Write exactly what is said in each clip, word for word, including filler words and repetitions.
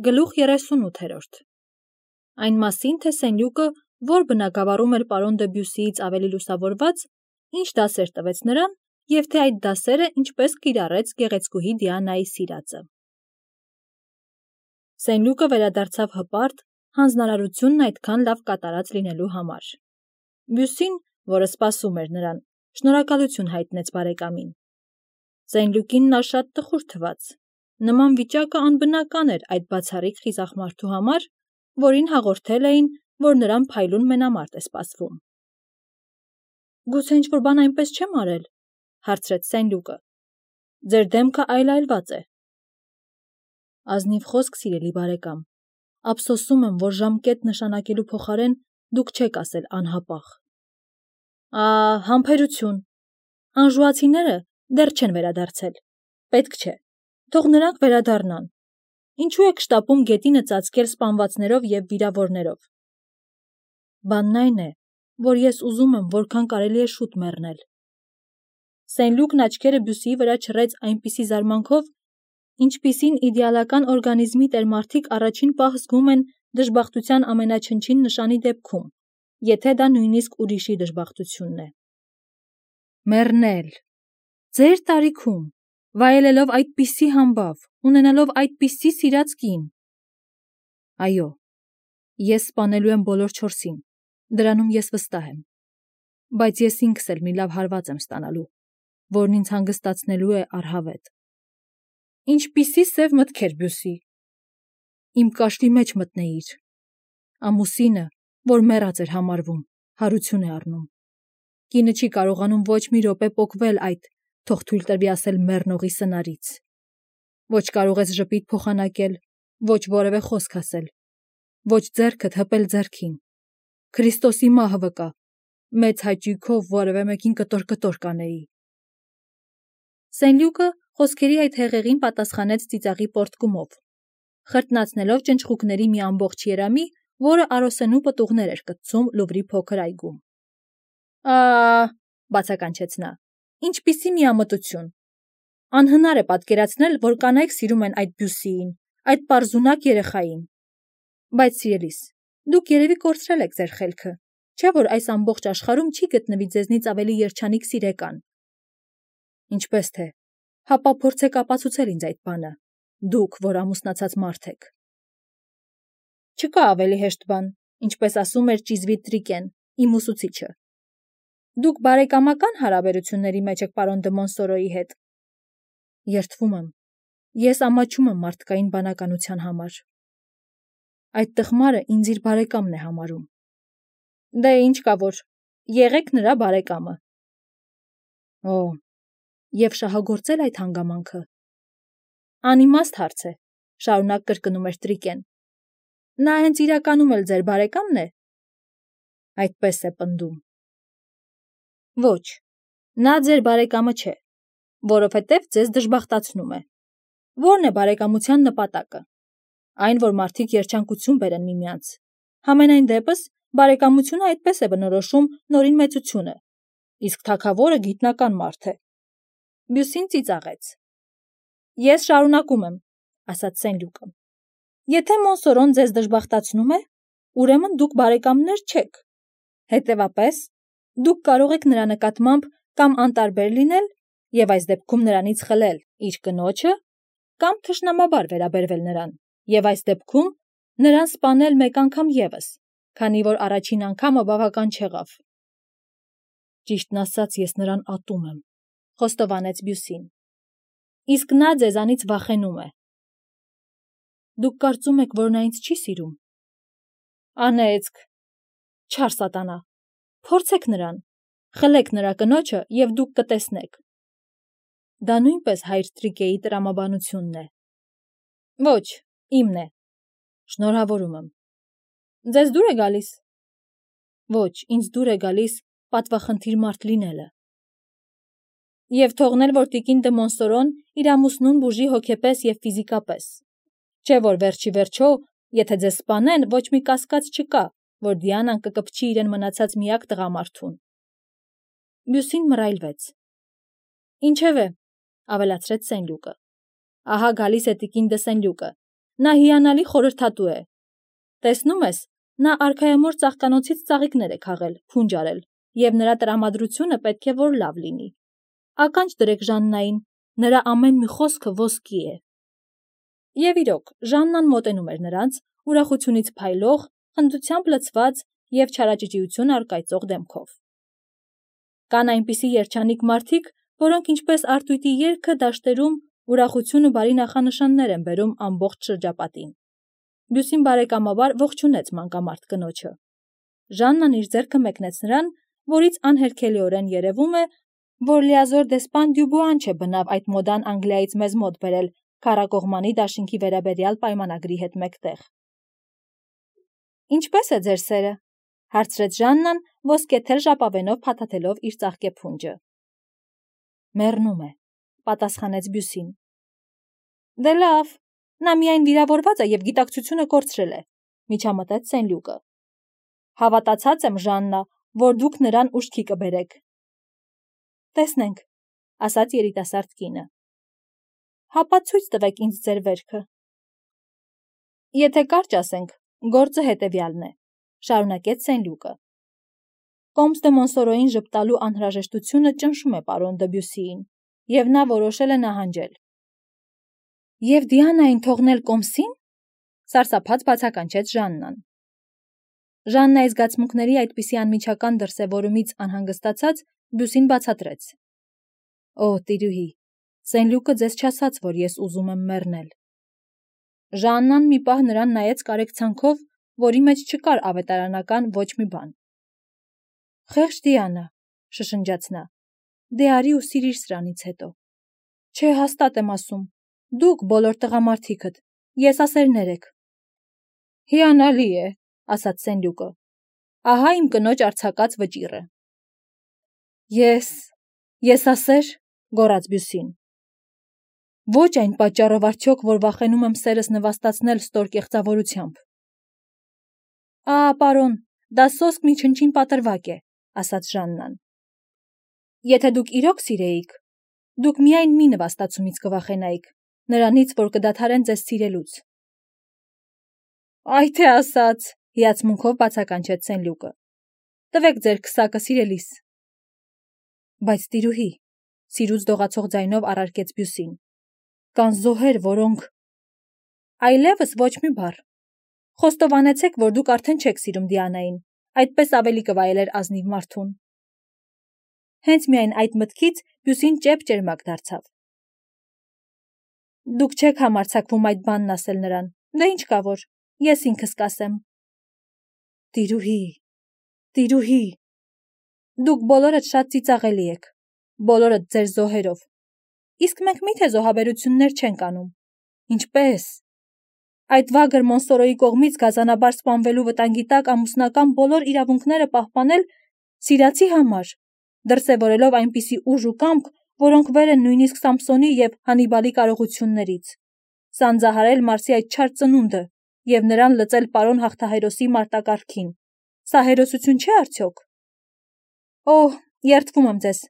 Գլուխ երեսունութերորդ Այն մասին, թե Սենլյուկը, որ բնագավառում էր պարոն Դեբյուսիից ավելի լուսավորված, ինչ դասեր տվեց նրան, և թե այդ դասերը ինչպես կիրառեց գեղեցկուհի Դիանայի սիրածը։ Սենլյուկը վերադարձավ հպարտ, հանձնարարությունն այդքան լավ կատարած լինելու համար։ Բյուսին, որը սպասում էր նրան, շնորհակալություն հայտնեց բարեկամին։ Սենլյուկին նա շատ տխուր թվաց։ Նման վիճակը անբնական էր այդ բացառիկ խիզախ մարդու համար, որին հաղորդել էին, որ նրան փայլուն մենամարտ է սպասվում։ Գուցե ինչ-որ բան այնպես չեմ արել, հարցրեց Սենլյուկը։ Ձեր դեմքը այլայլված է։ Ազնիվ խոսք, սիրելի բարեկամ։ Ափսոսում եմ, որ ժամկետ նշանակելու փոխարեն դուք չեք ասել անհապաղ։ Ա, համբերություն։ Անժուացիները դեռ չեն վերադարձել։ Պետք չէ։ Թող նրանք վերադառնան։ Ինչու եք շտապում գետինը ծածկել սպանվածներով և վիրավորներով։ Բանն այն է, որ ես ուզում եմ որքան կարելի է շուտ մեռնել։ Սենլյուկն աչքերը Բյուսիի վրա չռեց այնպիսի զարմանքով, ինչպիսին իդեալական օրգանիզմի տեր մարդիկ առաջին պահ զգում են դժբախտության ամենաչնչին նշանի դեպքում, եթե դա նույնիսկ ուրիշի դժբախտությունն է։ Մեռնել։ Ձեր տարիքում, վայելելով այդպիսի համբավ, ունենալով այդպիսի սիրած կին։ Այո, ես սպանելու եմ բոլոր չորսին, դրանում ես վստահ եմ, բայց ես ինքս էլ մի լավ հարված եմ ստանալու, որն ինձ հանգստացնելու է առհավետ։ Ինչպիսի սև մտքեր, Բյուսի։ Իմ կաշվի մեջ մտնեիր։ Ամուսինը, որ մեռած էր համարվում, հարություն է առնում։ Կինը չի կարողանում ոչ մի րոպե պոկվել այդ, թող թույլ տրվի ասել մեռնողի սնարից։ Ոչ կարող ես ժպիտ փոխանակել, ոչ որևէ խոսք ասել, ոչ ձեռքդ հպել ձեռքին։ Քրիստոսի մահը վկա, մեծ հաճույքով որևէ մեկին կտոր-կտոր կանեի։ Սենլյուկը խոսքերի այդ հեղեղին պատասխանեց ծիծաղի պոռթկումով, խրտնացնելով ճնճղուկների մի ամբողջ երամի, որը արոսենու պտուղներ էր կտցում Լուվրի փոքր այգում։ Ա, բացականչեց նա, ինչպիսի միամտություն։ Անհնար է պատկերացնել, որ կանայք սիրում են այդ Բյուսիին, այդ պարզունակ երեխային։ Բայց, սիրելիս, դուք երևի կորցրել եք ձեր խելքը, չէ՞ որ այս ամբողջ աշխարհում չի գտնվի ձեզնից ավելի երջանիկ սիրեկան։ Ինչպես թե, հապա փորձեք ապացուցել ինձ այդ բանը, դուք, որ ամուսնացած մարդ եք։ Չկա ավելի հեշտ բան, ինչպես ասում էր Ճիզվիտ Տրիկեն, իմ ուսուցիչը։ Դուք բարեկամական հարաբերությունների մեջ եք պարոն դը Մոնսորոյի հետ։ Երդվում եմ, ես ամաչում եմ մարդկային բանականության համար։ Այդ տխմարը ինձ իր բարեկամն է համարում։ Դե ինչ կա որ, եղեք նրա բարեկամը։ Օ, և շահագործել այդ հանգամանքը։ Անիմաստ հարց է, շարունակ կրկնում էր Տրիկեն։ Նա հենց իրականում էլ ձեր բարեկամն է։ Այդպես է պնդում։ Ոչ, նա ձեր բարեկամը չէ, որովհետև ձեզ դժբախտացնում է։ Ո՞րն է բարեկամության նպատակը։ Այն, որ մարդիկ երջանկություն բերեն միմյանց։ Համենայն դեպս, բարեկամությունը այդպես է բնորոշում նորին մեծությունը, իսկ թագավորը գիտնական մարդ է։ Բյուսին ծիծաղեց։ Ես շարունակում եմ, ասաց Սենլյուկը։ Եթե Մոնսորոն ձեզ դժբախտացնում է, ուրեմն դուք բարեկամներ չեք։ Հետևապես, դուք կարող եք նրա նկատմամբ կամ անտարբեր լինել և այս դեպքում նրանից խլել իր կնոջը, կամ թշնամաբար վերաբերվել նրան և այս դեպքում նրան սպանել մեկ անգամ ևս, քանի որ առաջին անգամը բավական չեղավ։ Ճիշտն ասած, ես նրան ատում եմ, խոստովանեց Բյուսին։ Իսկ նա ձեզանից վախենում է։ Դուք կարծում եք, որ նա ինձ չի սիրում։ Անեծք, չար սատանա, փորձեք նրան, խլեք նրա կնոջը և դուք կտեսնեք։ Դա նույնպես հայր Տրիկեի տրամաբանությունն է։ Ոչ, իմն է։ Շնորհավորում եմ։ Ձեզ դուր է գալիս։ Ոչ, ինձ դուր է գալիս պատվախնդիր մարդ լինելը։ Եվ թողնել, որ տիկին դը Մոնսորոն իր ամուսնուն բուժի հոգեպես և ֆիզիկապես։ Չէ՞ որ վերջի վերջո, եթե ձեզ սպանեն, ոչ մի կասկած չկա, որ Դիանան կկպչի իրեն մնացած միակ տղամարդուն։ Բյուսին մռայլվեց։ Ինչևէ, ավելացրեց Սենլյուկը։ Ահա գալիս է տիկին դը Սենլյուկը, նա հիանալի խորհրդատու է։ Տեսնում ես, նա արքայամոր ծաղկանոցից ծաղիկներ է քաղել, փունջ արել, և նրա տրամադրությունը պետք է որ լավ լինի։ Ականջ դրեք Ժաննային, նրա ամեն մի խոսքը ոսկի է։ Եվ իրոք, Ժաննան մոտենում էր նրանց, ուրախությունից փայլող, խնդությամբ լցված և չարաճճիություն առկայծող դեմքով։ Կան այնպիսի երջանիկ մարդիկ, որոնք ինչպես արտույտի երգը դաշտերում ուրախություն ու բարի նախանշաններ են բերում ամբողջ շրջապատին։ Բյուսին բարեկամաբար ողջունեց մանկամարդ կնոջը։ Ժաննան իր ձեռքը մեկնեց նրան, որից անհերքելիորեն երևում է, որ լիազոր դեսպան Դյուբուան չէ բնավ այդ մոդան Անգլիայից մեզ մոտ բերել քառակողմանի դաշինքի վերաբերյալ պայմանագրի հետ մեկտեղ։ Ինչպե՞ս է ձեր սերը, հարցրեց Ժաննան, ոսկեթել ժապավենով փաթաթելով իր ծաղկե փունջը։ Մեռնում է, պատասխանեց Բյուսին։ Դե լավ, նա միայն վիրավորված է և գիտակցությունը կորցրել է, միջամտեց Սենլյուկը։ Հավատացած եմ, Ժաննա, որ դուք նրան ուշքի կբերեք։ Տեսնենք, ասաց երիտասարդ կինը։ Հապա ցույց տվեք ինձ ձեր վերքը։ Եթե կարճ ասենք, գործը հետևյալն է, շարունակեց Սենլյուկը։ Կոմս դե Մոնսորոյին ժպտալու անհրաժեշտությունը ճնշում է պարոն Դեբյուսիին, և նա որոշել է նահանջել։ Եվ Դիանային թողնել Կոմսին, սարսափած բացականչեց Ժաննան։ Ժաննայի զգացմունքների այդպիսի անմիջական դրսևորումից անհանգստացած Բյուսին բացատրեց. Օ, տիրուհի, Սենլյուկը ձեզ չասաց, որ ես ուզում եմ մեռնել։ Ժաննան մի պահ նրան նայեց կարեկցանքով, որի մեջ չկար ավետարանական ոչ մի բան։ Խեղճ Դիանա, շշնջաց նա, դե արի ու սիրիր սրանից հետո։ Չէ, հաստատ եմ ասում, դուք բոլոր տղամարդիկդ, եսասերներ եք։ Հիանալի է, ասաց Սենլյուկը, ահա իմ կնոջ արձակած վճիռը։ Ես, եսասեր, գոռաց Բյուսին։ Ոչ այն պատճառով արդյոք, որ վախենում եմ սերս նվաստացնել ստորկեղծավորությամբ։ Ա, պարոն, դա սոսկ մի չնչին պատրվակ է, ասաց Ժաննան։ Եթե դուք իրոք սիրեիք, դուք միայն մի նվաստացումից կվախենայիք, նրանից, որ կդադարեն ձեզ սիրելուց։ Այ թե ասաց, հիացմունքով բացականչեց Սենլյուկը։ Տվեք ձեր քսակը սիրելիս։ Բայց տիրուհի, սիրուց դողացող ձայնով առարկեց Բյուսին։ Կան զոհեր, որոնք… Այլևս ոչ մի բառ։ Խոստովանեցեք, որ դուք արդեն չեք սիրում Դիանային, այդպես ավելի կվայելեր ազնիվ մարդուն։ Հենց միայն այդ մտքից Բյուսին ճեպ-ճերմակ դարձավ։ Դուք չեք համարձակվում այդ բանն ասել նրան, դե ինչ կա որ, ես ինքս կասեմ։ Տիրուհի, տիրուհի, դուք բոլորդ շատ ծիծաղելի եք, բոլորդ ձեր զոհերով։ Իսկ մենք միթե զոհաբերություններ չենք անում։ Ինչպե՞ս։ Այդ վագր Մոնսորոյի կողմից գազանաբար սպանվելու վտանգի տակ ամուսնական բոլոր իրավունքները պահպանել սիրածի համար, դրսևորելով այնպիսի ուժ ու կամք, որոնք վեր են նույնիսկ Սամսոնի և Հանիբալի կարողություններից, սանձահարել Մարսի այդ չար ծնունդը և նրան լծել պարոն հաղթահերոսի մարտակառքին։ Սա հերոսություն չէ՞ արդյոք։ Օհ, երդվում եմ ձեզ։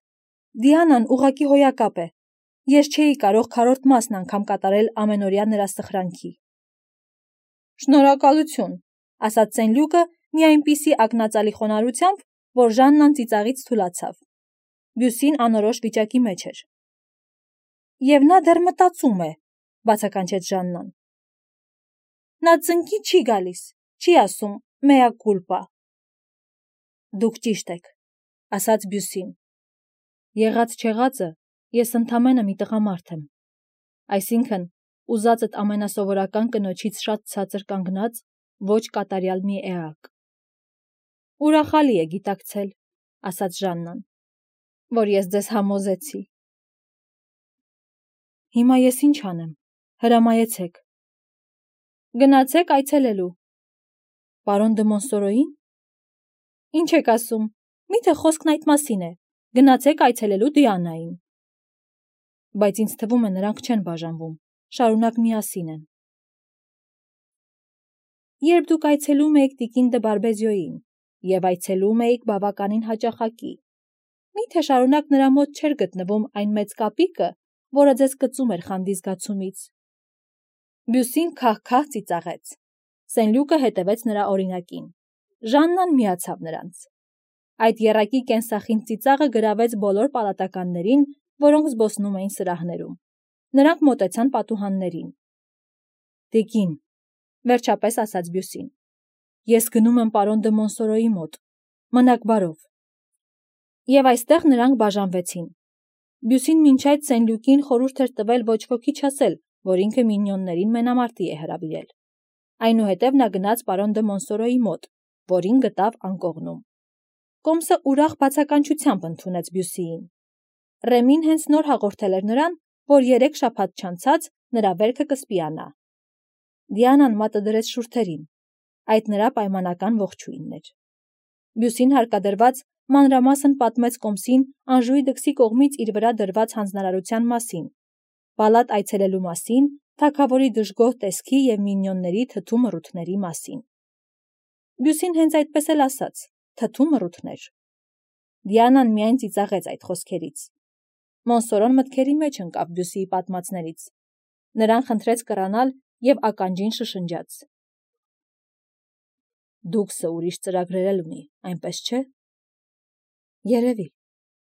Դիանան ուղղակի հոյակապ է։ Ես չէի կարող քառորդ մասն անգամ կատարել ամենօրյա նրա սխրանքի։ Շնորհակալություն, ասաց Սենլյուկը մի այնպիսի ակնածալի խոնարհությամբ, որ Ժաննան ծիծաղից թուլացավ։ Բյուսին անորոշ վիճակի մեջ էր։ Եվ նա դեռ մտածում է, բացականչեց Ժաննան։ Նա ծնկի չի գալիս, չի ասում mea culpa։ Դուք ճիշտ եք, ասաց Բյուսին։ Եղած չեղածը ես ընդամենը մի տղամարդ եմ, այսինքն ուզածդ ամենասովորական կնոջից շատ ցածր կանգնած, ոչ կատարյալ մի էակ։ Ուրախալի է գիտակցել, ասաց Ժաննան, որ ես ձեզ համոզեցի։ Հիմա ես ինչ անեմ, հրամայեցեք։ Գնացեք այցելելու։ Պարոն դե Մոնսորոյին։ Ինչ եք ասում, միթե խոսքն այդ մասին է, գնացեք այցելելու Դիանային։ Բայց ինձ թվում է նրանք չեն բաժանվում, շարունակ միասին են։ Երբ դուք այցելում էիք տիկին դե Բարբեզյոյին և այցելում էիք բավականին հաճախակի, միթե շարունակ նրա մոտ չէր գտնվում այն մեծ կապիկը, որը ձեզ կծում էր խանդի զգացումից։ Բյուսին քահ-քահ ծիծաղեց։ Սենլյուկը հետևեց նրա օրինակին։ Ժաննան միացավ նրանց։ Այդ եռակի կենսախինդ ծիծաղը գրավեց բոլոր պալատականներին, որոնք զբոսնում էին սրահներում։ Նրանք մոտեցան պատուհաններին։ Տիկին, վերջապես ասաց Բյուսին, ես գնում եմ պարոն դը Մոնսորոյի մոտ, մնաք բարով։ Եվ այստեղ նրանք բաժանվեցին։ Բյուսին մինչ այդ Սենլյուկին խորհուրդ էր տվել ոչ ոքի չասել, որ ինքը մինյոններին մենամարտի է հրավիրել։ Այնուհետև նա գնաց պարոն դը Մոնսորոյի մոտ, որին գտավ անկողնում։ Կոմսը ուրախ բացականչությամբ ընդունեց Բյուսիին։ Ռեմին հենց նոր հաղորդել էր նրան, որ երեք շաբաթ չանցած նրա վերքը կսպիանա։ Դիանան մատը դրեց շուրթերին։ Այդ նրա պայմանական ողջույնն էր։ Բյուսին հարկադրված մանրամասն պատմեց Կոմսին Անժուի դքսի կողմից իր վրա դրված հանձնարարության մասին, պալատ այցելելու մասին, թագավորի դժգոհ տեսքի և մինյոնների թթու մռութների մասին։ Բյուսին հենց այդպես էլ ասաց, թթու մռութներ։ Դիանան միայն ծիծաղեց այդ խոսքերից։ Մոնսորոն մտքերի մեջ ընկավ Բյուսիի պատմածներից։ Նրան խնդրեց կռանալ և ականջին շշնջաց. Դուքսը ուրիշ ծրագրեր էլ ունի, այնպես չէ։ Երևի,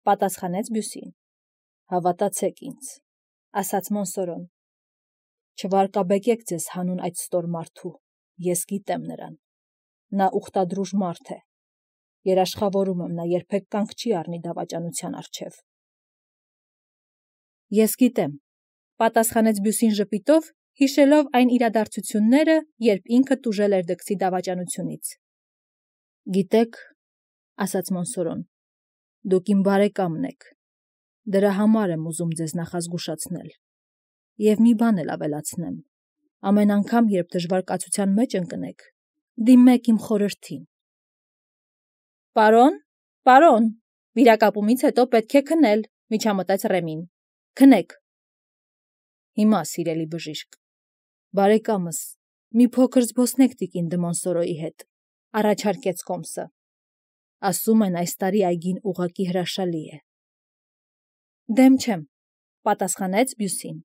պատասխանեց Բյուսին։ Հավատացեք ինձ, ասաց Մոնսորոն։ Չվարկաբեկեք ձեզ հանուն այդ ստոր մարդու, ես գիտեմ նրան։ Նա ուխտադրուժ մարդ է։ Երաշխավորում եմ, նա երբեք կանգ չի առնի դավաճանության առջև։ Ես գիտեմ, պատասխանեց Բյուսին ժպիտով, հիշելով այն իրադարձությունները, երբ ինքը տուժել էր դքսի դավաճանությունից։ Գիտեք, ասաց Մոնսորոն, դուք իմ բարեկամն եք։ Դրա համար եմ ուզում ձեզ նախազգուշացնել։ Եվ մի բան էլ ավելացնեմ։ Ամեն անգամ, երբ դժվար կացության մեջ ընկնեք, դիմեք իմ խորհրդին։ Պարոն, պարոն, վիրակապումից հետո պետք է քնել, միջամտեց Ռեմին։ Քնեք։ Հիմա, սիրելի բժիշկ, բարեկամս, մի փոքր զբոսնեք տիկին դը Մոնսորոյի հետ, առաջարկեց Կոմսը։ Ասում են այս տարի այգին ուղղակի հրաշալի է։ Դեմ չեմ, պատասխանեց Բյուսին։